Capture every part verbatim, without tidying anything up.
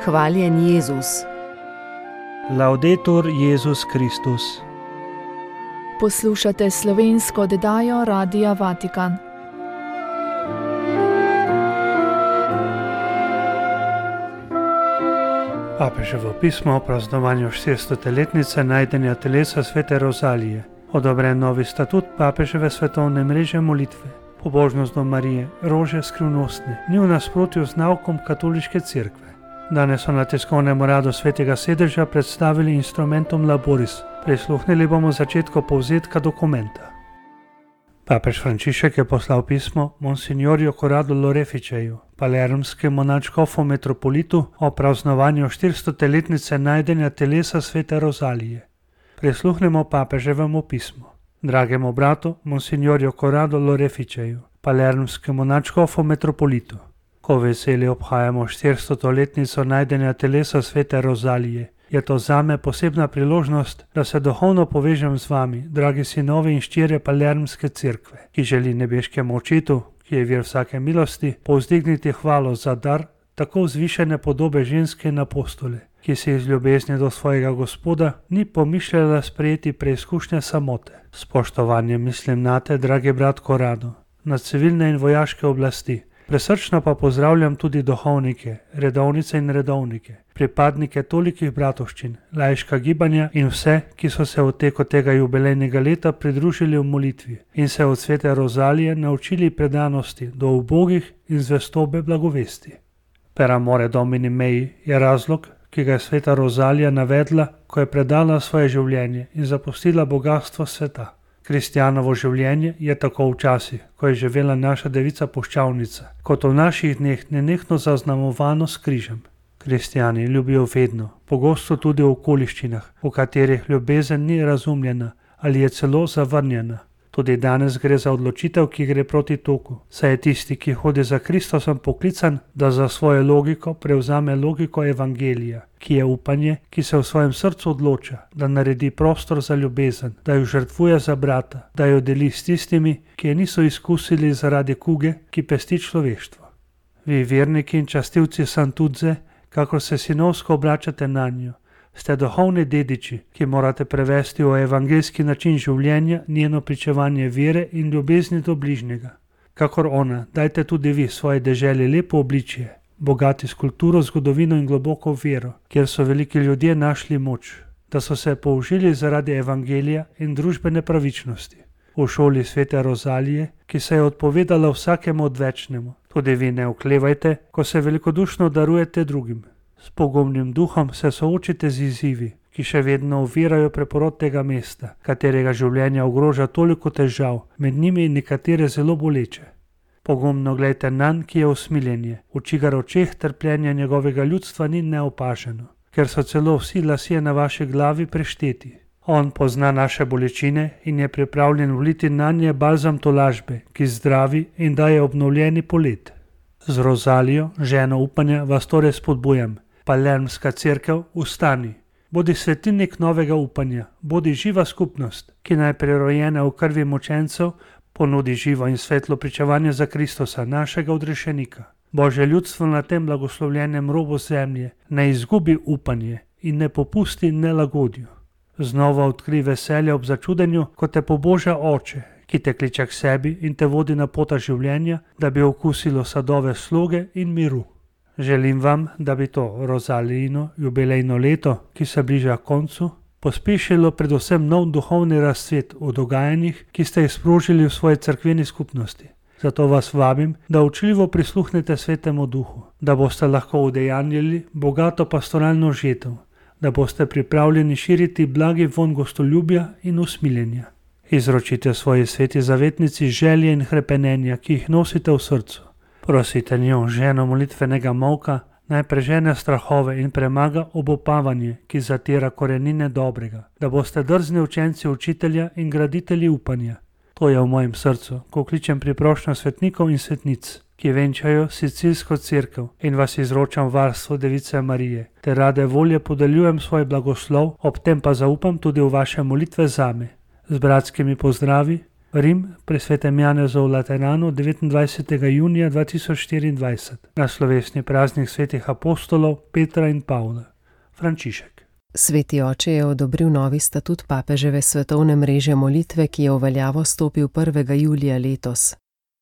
Hvaljen Jezus. Laudetur Jezus Kristus. Poslušate slovensko oddajo Radia Vatikan. Papeževo pismo o praznovanju štiristoletnice najdenja telesa svete Rozalije, odobren novi statut papeževe svetovne mreže molitve. Pobožnost do Marije, rože skrivnostne, ni v nasprotju z naukom katoliške cerkve. Danes so na tiskovnem uradu svetega sedeža predstavili instrumentum laboris. Prisluhnili bomo začetku povzetka dokumenta. Papež Frančišek je poslal pismo Monsignorju Corrado Loreficeju, palermskemu nadškofu metropolitu o praznovanju štiristoletnice najdenja telesa svete Rozalije. Prisluhnemo papeževemu pismu. Dragemu bratu Monsignorju Corrado Loreficeju, palermskemu nadškofu metropolitu. Ko veseli obhajamo štiristoletnico najdenja telesa svete Rozalije, je to zame posebna priložnost, da se duhovno povežem z vami, dragi sinovi in ščirje palermske cerkve, ki želi nebeškemu očetu, ki je vir vsake milosti, povzdigniti hvalo za dar tako vzvišene podobe ženske in apostole, ki se iz ljubezni do svojega Gospoda ni pomišljala sprejeti preizkušnje samote. Spoštovanje mislim nate, dragi brat Corrado, na civilne in vojaške oblasti. Presrčno pa pozdravljam tudi duhovnike, redovnice in redovnike, pripadnike tolikih bratovščin, laiška gibanja in vse, ki so se v teku tega jubilejnega leta pridružili v molitvi in se od svete Rozalije naučili predanosti do ubogih in zvestobe blagovesti. Per amore Domini mei je razlog, ki ga je sveta Rozalija navedla, ko je predala svoje življenje in zapustila bogatstvo sveta. Kristjanovo življenje je tako včasih, ko je živela naša devica puščavnica, kot v naših dneh nenehno zaznamovano s križem. Kristjani ljubijo vedno, pogosto tudi v okoliščinah, v katerih ljubezen ni razumljena ali je celo zavrnjena. Tudi danes gre za odločitev, ki gre proti toku, saj je tisti, ki hodi za Kristusom, poklican, da za svojo logiko prevzame logiko evangelija, ki je upanje, ki se v svojem srcu odloča, da naredi prostor za ljubezen, da jo žrtvuje za brata, da jo deli s tistimi, ki je niso izkusili zaradi kuge, ki pesti človeštvo. Vi verniki in častilci Sant'Udze, kakor se sinovsko obračate na njo, ste duhovni dediči, ki morate prevesti v evangeljski način življenja njeno pričevanje vere in ljubezni do bližnjega. Kakor ona, dajte tudi vi svoje deželi lepo obličje, bogati s kulturo, zgodovino in globoko vero, kjer so veliki ljudje našli moč, da so se použili zaradi evangelija in družbene pravičnosti. V šoli svete Rozalije, ki se je odpovedala vsakemu odvečnemu, tudi vi ne oklevajte, ko se velikodušno darujete drugim. S pogumnim duhom se soočite z izzivi, ki še vedno ovirajo preporod tega mesta, katerega življenja ogroža toliko težav, med njimi nekatere zelo boleče. Pogumno gledajte nanj, ki je usmiljenje, v čigar očeh trpljenja njegovega ljudstva ni neopaženo, ker so celo vsi lasje na vaši glavi prešteti. On pozna naše bolečine in je pripravljen vliti nanje balzam tolažbe, ki zdravi in daje obnovljeni polet. Z Rozalijo, ženo upanja, vas torej spodbujam. Palermska cerkev, ustani. Bodi svetilnik novega upanja, bodi živa skupnost, ki naj prerojena v krvi mučencev ponudi živo in svetlo pričevanje za Kristusa, našega odrešenika. Božje ljudstvo na tem blagoslovljenem robu zemlje ne izgubi upanje in ne popusti nelagodju. Znova odkri veselje ob začudenju, ko te poboža Oče, ki te kliče k sebi in te vodi na pota življenja, da bi okusilo sadove sloge in miru. Želim vam, da bi to Rozalijino jubilejno leto, ki se bliža koncu, pospešilo predvsem nov duhovni razcvet v dogajanjih, ki ste jih sprožili v svoji cerkveni skupnosti. Zato vas vabim, da učljivo prisluhnete Svetemu Duhu, da boste lahko udejanjili bogato pastoralno žetev, da boste pripravljeni širiti blagi vonj gostoljubja in usmiljenja. Izročite svoji sveti zavetnici želje in hrepenenja, ki jih nosite v srcu. Prosite njo, ženo molitvenega molka, naj prežene strahove in premaga obupavanje, ki zatira korenine dobrega, da boste drzni učenci učitelja in graditelji upanja. To je v mojem srcu, ko kličem priprošnjo svetnikov in svetnic, ki venčajo Sicilsko cerkev in vas izročam varstvo Device Marije, te rade volje podeljujem svoj blagoslov, ob tem pa zaupam tudi v vaše molitve zame. Z bratskimi pozdravi, Rim pri svetem Janezu v Lateranu devetindvajsetega junija dva tisoč štiriindvajset na slovesni praznik svetih apostolov Petra in Pavla. Frančišek. Sveti oče je odobril novi statut papeževe svetovne mreže molitve, ki je v veljavo stopil prvega julija letos.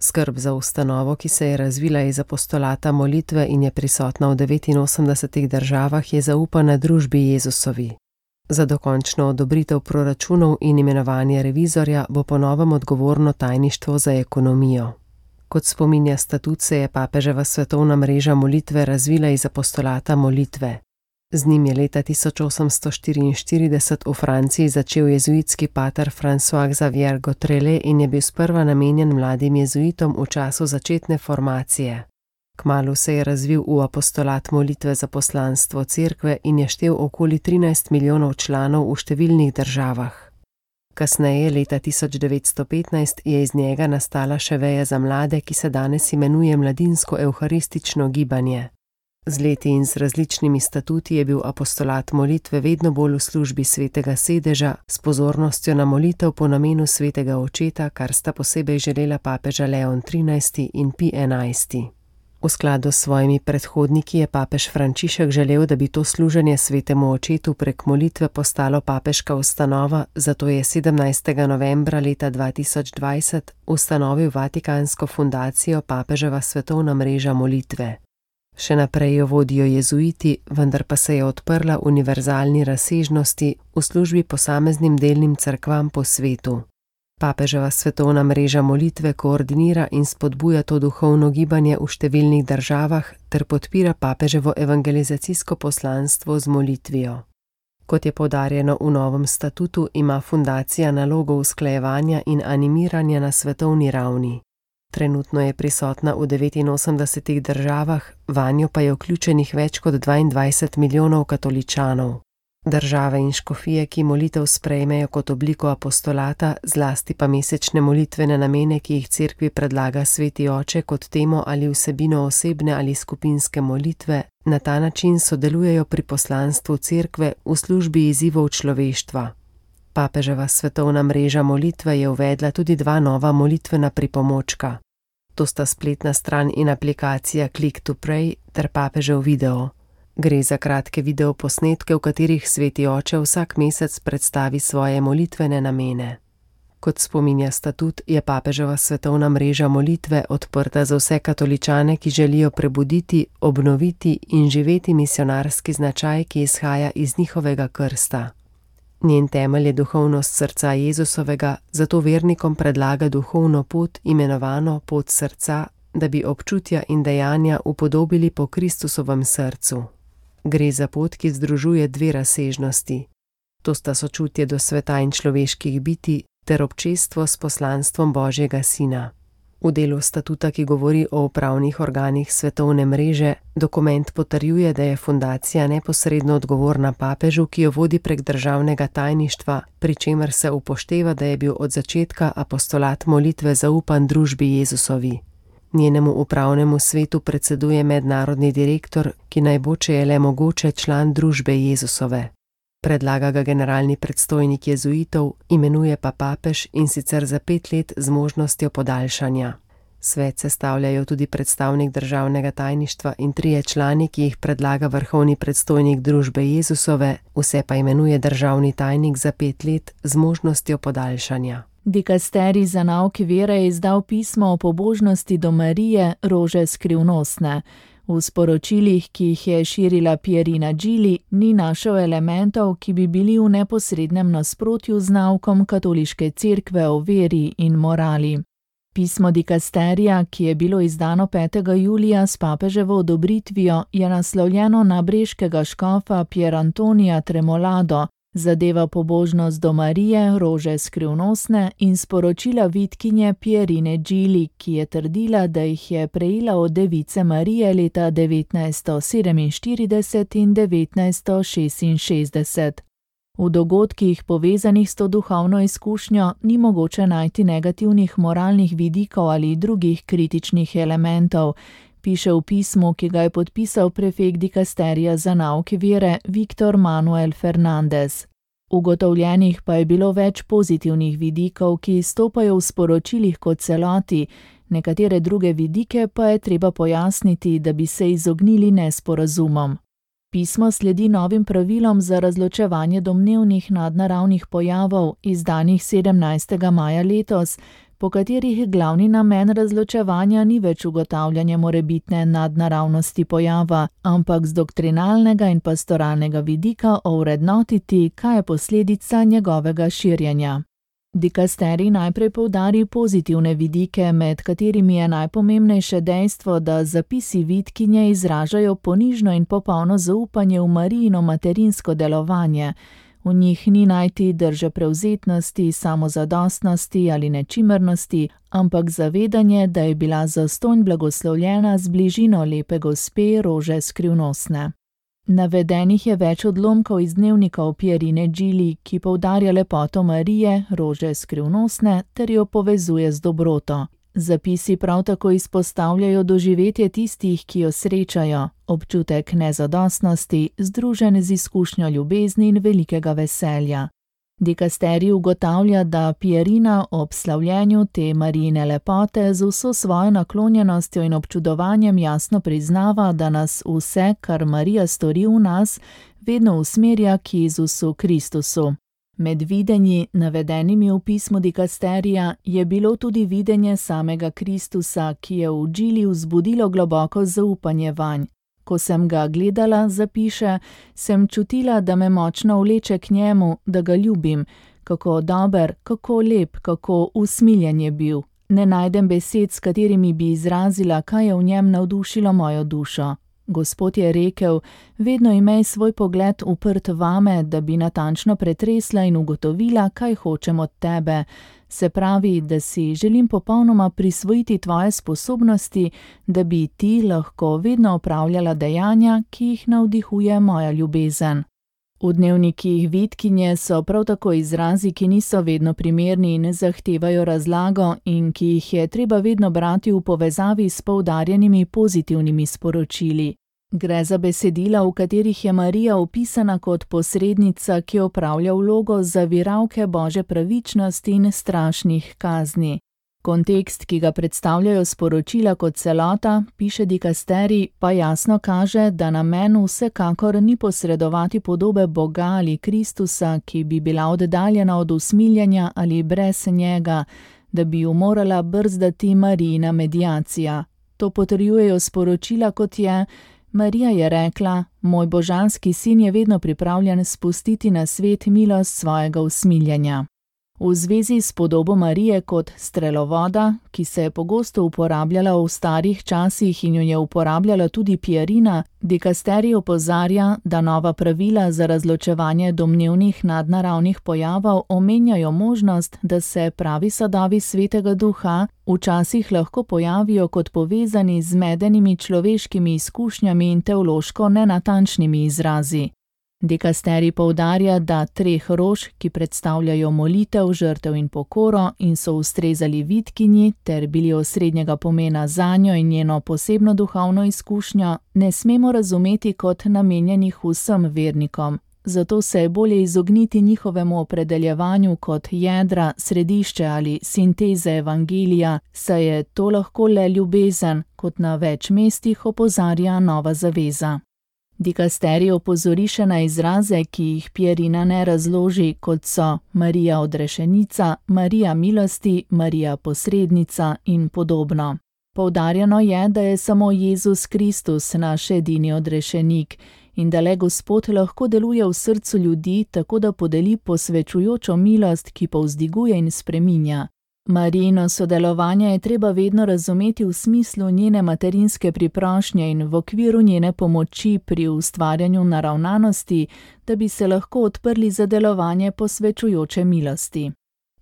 Skrb za ustanovo, ki se je razvila iz apostolata molitve in je prisotna v devetinosemdesetih državah, je zaupana družbi Jezusovi. Za dokončno odobritev proračunov in imenovanje revizorja bo po novem odgovorno tajništvo za ekonomijo. Kot spominja statut, se je papeževa svetovna mreža molitve razvila iz apostolata molitve. Z njim je leta tisoč osemsto štiriinštirideset v Franciji začel jezuitski pater François Xavier Gautrelle in je bil sprva namenjen mladim jezuitom v času začetne formacije. Kmalu se je razvil v apostolat molitve za poslanstvo cerkve in je štel okoli trinajst milijonov članov v številnih državah. Kasneje, leta tisoč devetsto petnajst, je iz njega nastala še veja za mlade, ki se danes imenuje Mladinsko evharistično gibanje. Z leti in z različnimi statuti je bil apostolat molitve vedno bolj v službi svetega sedeža, s pozornostjo na molitev po namenu svetega očeta, kar sta posebej želela papeža Leon trinajsti in Pij enajsti. V skladu s svojimi predhodniki je papež Frančišek želel, da bi to služenje svetemu očetu prek molitve postalo papeška ustanova, zato je sedemnajstega novembra leta dva tisoč dvajset ustanovil Vatikansko fundacijo Papeževa svetovna mreža molitve. Še naprej jo vodijo jezuiti, vendar pa se je odprla univerzalni razsežnosti v službi posameznim delnim cerkvam po svetu. Papeževa svetovna mreža molitve koordinira in spodbuja to duhovno gibanje v številnih državah ter podpira papeževo evangelizacijsko poslanstvo z molitvijo. Kot je poudarjeno v novem statutu, ima fundacija nalogo usklajevanja in animiranja na svetovni ravni. Trenutno je prisotna v devetinosemdesetih državah, vanjo pa je vključenih več kot dvaindvajset milijonov katoličanov. Države in škofije, ki molitev sprejmejo kot obliko apostolata, zlasti pa mesečne molitvene namene, ki jih cerkvi predlaga sveti oče kot temo ali vsebino osebne ali skupinske molitve, na ta način sodelujejo pri poslanstvu cerkve v službi izzivov človeštva. Papeževa svetovna mreža molitve je uvedla tudi dva nova molitvena pripomočka. To sta spletna stran in aplikacija Click to Pray ter papežev video. Gre za kratke videoposnetke, v katerih sveti oče vsak mesec predstavi svoje molitvene namene. Kot spominja statut, je papeževa svetovna mreža molitve odprta za vse katoličane, ki želijo prebuditi, obnoviti in živeti misionarski značaj, ki izhaja iz njihovega krsta. Njen temelj je duhovnost srca Jezusovega, zato vernikom predlaga duhovno pot, imenovano pot srca, da bi občutja in dejanja upodobili po Kristusovem srcu. Gre za pot, ki združuje dve razsežnosti. To sta sočutje do sveta in človeških bitij ter občestvo s poslanstvom Božjega Sina. V delu statuta, ki govori o upravnih organih svetovne mreže, dokument potrjuje, da je fundacija neposredno odgovorna papežu, ki jo vodi prek državnega tajništva, pri čemer se upošteva, da je bil od začetka apostolat molitve zaupan družbi Jezusovi. Njenemu upravnemu svetu predseduje mednarodni direktor, ki naj bo, če je le mogoče, član družbe Jezusove. Predlaga ga generalni predstojnik jezuitov, imenuje pa papež in sicer za pet let z možnostjo podaljšanja. Svet sestavljajo tudi predstavnik državnega tajništva in trije člani, ki jih predlaga vrhovni predstojnik družbe Jezusove, vse pa imenuje državni tajnik za pet let z možnostjo podaljšanja. Dikasterij za nauk vere je izdal pismo o pobožnosti do Marije, rože skrivnostne. V sporočilih, ki jih je širila Pierina Gili, ni našel elementov, ki bi bili v neposrednem nasprotju z naukom katoliške cerkve o veri in morali. Pismo dikasterija, ki je bilo izdano petega julija s papeževo odobritvijo, je naslovljeno na breškega škofa Pier Antonija Tremolado, zadeva pobožnost do Marije, rože skrivnostne in sporočila vitkinje Pierine Gili, ki je trdila, da jih je prejela od device Marije leta devetnajststo sedeminštirideset in devetnajststo šestinšestdeset. V dogodkih povezanih s to duhovno izkušnjo ni mogoče najti negativnih moralnih vidikov ali drugih kritičnih elementov, piše v pismu, ki ga je podpisal prefekt dikasterija za nauk vere Viktor Manuel Fernandez. Ugotovljenih pa je bilo več pozitivnih vidikov, ki izstopajo v sporočilih kot celoti, nekatere druge vidike pa je treba pojasniti, da bi se izognili nesporazumom. Pismo sledi novim pravilom za razločevanje domnevnih nadnaravnih pojavov, izdanih sedemnajstega maja letos, po katerih glavni namen razločevanja ni več ugotavljanje morebitne nadnaravnosti pojava, ampak z doktrinalnega in pastoralnega vidika ovrednotiti, kaj je posledica njegovega širjenja. Dikasterij najprej poudari pozitivne vidike, med katerimi je najpomembnejše dejstvo, da zapisi vitkinje izražajo ponižno in popolno zaupanje v Marijino materinsko delovanje. V njih ni najti drže prevzetnosti, samozadostnosti ali nečimrnosti, ampak zavedanje, da je bila zastonj blagoslovljena z bližino lepe gospe Rože Skrivnostne. Navedenih je več odlomkov iz dnevnikov Pierine Gili, ki poudarja lepoto Marije, Rože Skrivnostne, ter jo povezuje z dobroto. Zapisi prav tako izpostavljajo doživetje tistih, ki jo srečajo, občutek nezadostnosti, združen z izkušnjo ljubezni in velikega veselja. Dikasterij ugotavlja, da Pierina ob slavljenju te Marijine lepote z vso svojo naklonjenostjo in občudovanjem jasno priznava, da nas vse, kar Marija stori v nas, vedno usmerja k Jezusu Kristusu. Med videnji, navedenimi v pismu Dikasterija, je bilo tudi videnje samega Kristusa, ki je v Gili vzbudilo globoko zaupanje vanj. Ko sem ga gledala, zapiše, sem čutila, da me močno vleče k njemu, da ga ljubim. Kako dober, kako lep, kako usmiljen je bil. Ne najdem besed, s katerimi bi izrazila, kaj je v njem navdušilo mojo dušo. Gospod je rekel, vedno imej svoj pogled uprt vame, da bi natančno pretresla in ugotovila, kaj hočem od tebe. Se pravi, da si želim popolnoma prisvojiti tvoje sposobnosti, da bi ti lahko vedno opravljala dejanja, ki jih navdihuje moja ljubezen. V dnevnikih vitkinje so prav tako izrazi, ki niso vedno primerni in zahtevajo razlago in ki jih je treba vedno brati v povezavi s poudarjenimi pozitivnimi sporočili. Gre za besedila, v katerih je Marija opisana kot posrednica, ki opravlja vlogo zaviralke Božje pravičnosti in strašnih kazni. Kontekst, ki ga predstavljajo sporočila kot celota, piše Dikasterij, pa jasno kaže, da namen vsekakor ni posredovati podobe Boga ali Kristusa, ki bi bila oddaljena od usmiljenja ali brez njega, da bi ju morala brzdati Marijina mediacija. To potrjujejo sporočila, kot je: Marija je rekla, moj božanski sin je vedno pripravljen spustiti na svet milost svojega usmiljenja. V zvezi s podobo Marije kot strelovoda, ki se je pogosto uporabljala v starih časih in jo je uporabljala tudi Pierina, Dikasterij opozarja, da nova pravila za razločevanje domnevnih nadnaravnih pojavov omenjajo možnost, da se pravi sadovi Svetega Duha včasih lahko pojavijo kot povezani z zmedenimi človeškimi izkušnjami in teološko nenatančnimi izrazi. Dikasterij poudarja, da treh rož, ki predstavljajo molitev, žrtev in pokoro in so ustrezali vitkinji ter bili osrednjega pomena zanjo in njeno posebno duhovno izkušnjo, ne smemo razumeti kot namenjenih vsem vernikom. Zato se je bolje izogniti njihovemu opredeljevanju kot jedra, središče ali sinteze evangelija, saj je to lahko le ljubezen, kot na več mestih opozarja Nova zaveza. Dikasterij opozori še na izraze, ki jih Pierina ne razloži, kot so Marija odrešenica, Marija milosti, Marija posrednica in podobno. Poudarjeno je, da je samo Jezus Kristus naš edini odrešenik in da le Gospod lahko deluje v srcu ljudi, tako da podeli posvečujočo milost, ki povzdiguje in spreminja. Marijino sodelovanje je treba vedno razumeti v smislu njene materinske priprošnje in v okviru njene pomoči pri ustvarjanju naravnanosti, da bi se lahko odprli za delovanje posvečujoče milosti.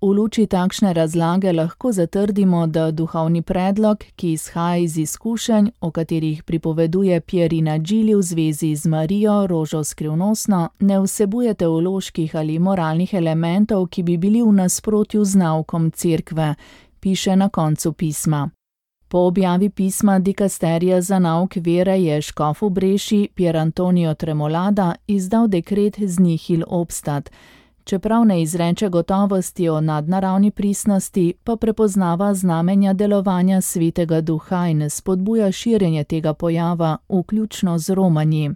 V luči takšne razlage lahko zatrdimo, da duhovni predlog, ki izhaja iz izkušenj, o katerih pripoveduje Pierina Gili v zvezi z Marijo, Rožo Skrivnostno, ne vsebuje teoloških ali moralnih elementov, ki bi bili v nasprotju z naukom cerkve, piše na koncu pisma. Po objavi pisma Dikasterija za nauk vere je škof v Breši Pier Antonio Tremolada izdal dekret z nihil obstat, Čeprav ne izreče gotovosti o nadnaravni pristnosti, pa prepoznava znamenja delovanja Svetega Duha in spodbuja širjenje tega pojava, vključno z romanji.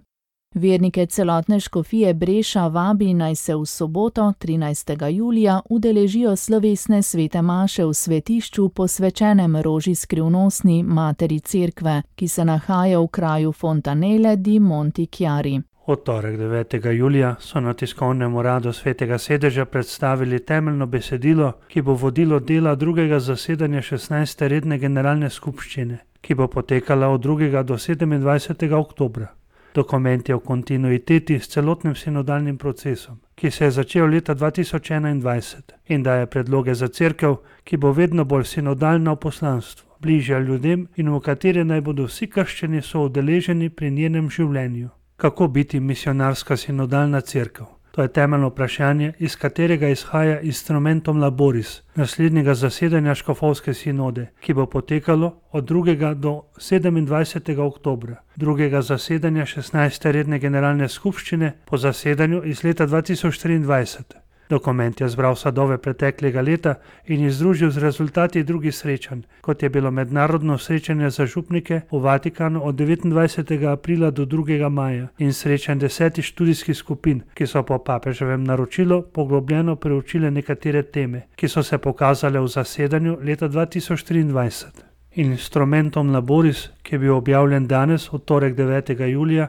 Vernike celotne škofije Breša vabi, naj se v soboto, trinajstega julija, udeležijo slovesne svete maše v svetišču posvečenem Roži Skrivnostni, materi Cerkve, ki se nahaja v kraju Fontanelle di Montichiari. V torek devetega julija so na tiskovnem uradu Svetega sedeža predstavili temeljno besedilo, ki bo vodilo dela drugega zasedanja šestnajste redne generalne skupščine, ki bo potekala od drugega do sedemindvajsetega oktobra. Dokument je v kontinuiteti s celotnim sinodalnim procesom, ki se je začel leta dva tisoč enaindvajset in daje predloge za cerkev, ki bo vedno bolj sinodalna v poslanstvu, bližja ljudem in v kateri naj bodo vsi krščani soudeleženi pri njenem življenju. Kako biti misionarska sinodalna cerkev? To je temeljno vprašanje, iz katerega izhaja instrumentum laboris, naslednjega zasedanja škofovske sinode, ki bo potekalo od drugega do sedemindvajsetega oktobra, drugega zasedanja šestnajste redne generalne skupščine po zasedanju iz leta dva tisoč triindvajset. Dokument je zbral sadove preteklega leta in jih združil z rezultati drugih srečanj, kot je bilo mednarodno srečanje za župnike v Vatikanu od devetindvajsetega aprila do drugega maja in srečanj desetih študijskih skupin, ki so po papeževem naročilu poglobljeno preučile nekatere teme, ki so se pokazale v zasedanju leta dva tisoč triindvajset. Instrumentum laboris, ki je bil objavljen danes, v torek devetega julija,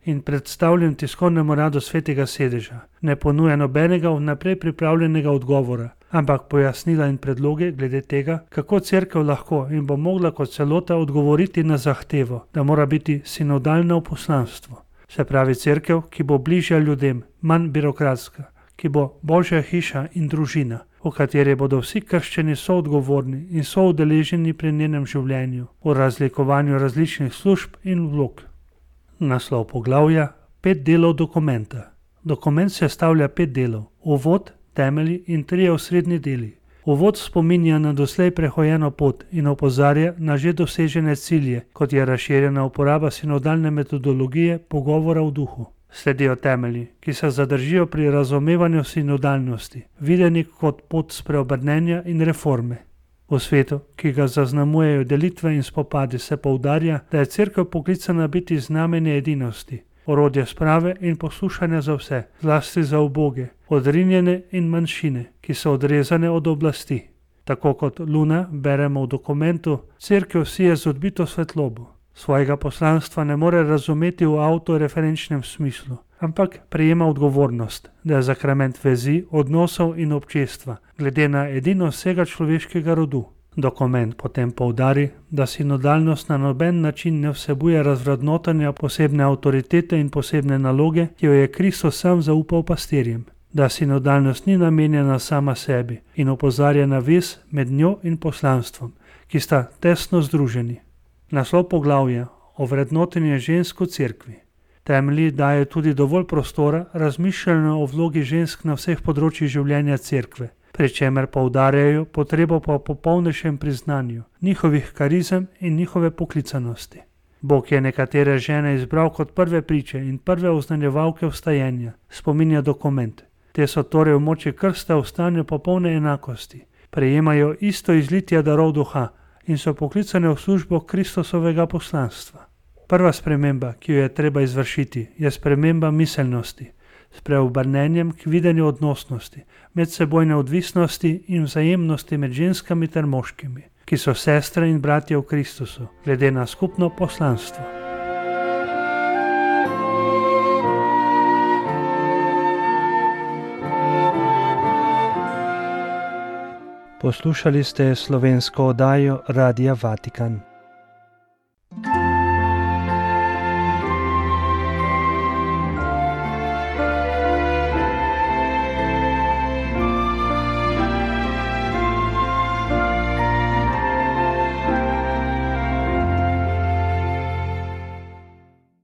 in predstavljen tiskovnemu uradu Svetega sedeža, ne ponuja nobenega vnaprej pripravljenega odgovora, ampak pojasnila in predloge glede tega, kako cerkev lahko in bo mogla kot celota odgovoriti na zahtevo, da mora biti sinodalna v poslanstvu. Se pravi cerkev, ki bo bližja ljudem, manj birokratska, ki bo božja hiša in družina, v kateri bodo vsi krščani soodgovorni in soudeleženi pri njenem življenju, v razlikovanju različnih služb in vlog. Naslov poglavja: Pet delov dokumenta. Dokument sestavlja pet delov: uvod, temelji in trije osrednji deli. Uvod spominja na doslej prehojeno pot in opozarja na že dosežene cilje, kot je razširjena uporaba sinodalne metodologije pogovora v duhu. Sledijo temelji, ki se zadržijo pri razumevanju sinodalnosti, videni kot pot spreobrnenja in reforme. V svetu, ki ga zaznamujejo delitve in spopadi, se poudarja, da je cerkev poklicana biti znamenje edinosti, orodje sprave in poslušanja za vse, zlasti za uboge, odrinjene in manjšine, ki so odrezane od oblasti. Tako kot luna beremo v dokumentu, cerkev sije z odbito svetlobo. Svojega poslanstva ne more razumeti v avtoreferenčnem smislu, ampak prejema odgovornost, da je sakrament vezi, odnosov in občestva, glede na edino vsega človeškega rodu. Dokument potem poudari, da sinodalnost na noben način ne vsebuje razvrednotenja posebne avtoritete in posebne naloge, ki jo je Kristus sam zaupal pastirjem, da sinodalnost ni namenjena sama sebi in opozarja na vez med njo in poslanstvom, ki sta tesno združeni. Naslov poglavja: Ovrednotenje žensk v cerkvi. Temelji daje tudi dovolj prostora razmišljanju o vlogi žensk na vseh področjih življenja cerkve, pri čemer poudarjajo potrebo po popolnejšem priznanju njihovih karizem in njihove poklicanosti. Bog je nekatere žene izbral kot prve priče in prve oznanjevalke vstajenja, spominja dokument. Te so torej v moči krsta v stanju popolne enakosti, prejemajo isto izlitje darov duha in so poklicane v službo Kristusovega poslanstva. Prva sprememba, ki jo je treba izvršiti, je sprememba miselnosti, s preobrnenjem k videnju odnosnosti, medsebojne odvisnosti in vzajemnosti med ženskami ter moškimi, ki so sestre in bratje v Kristusu, glede na skupno poslanstvo. Poslušali ste slovensko oddajo Radia Vatikan.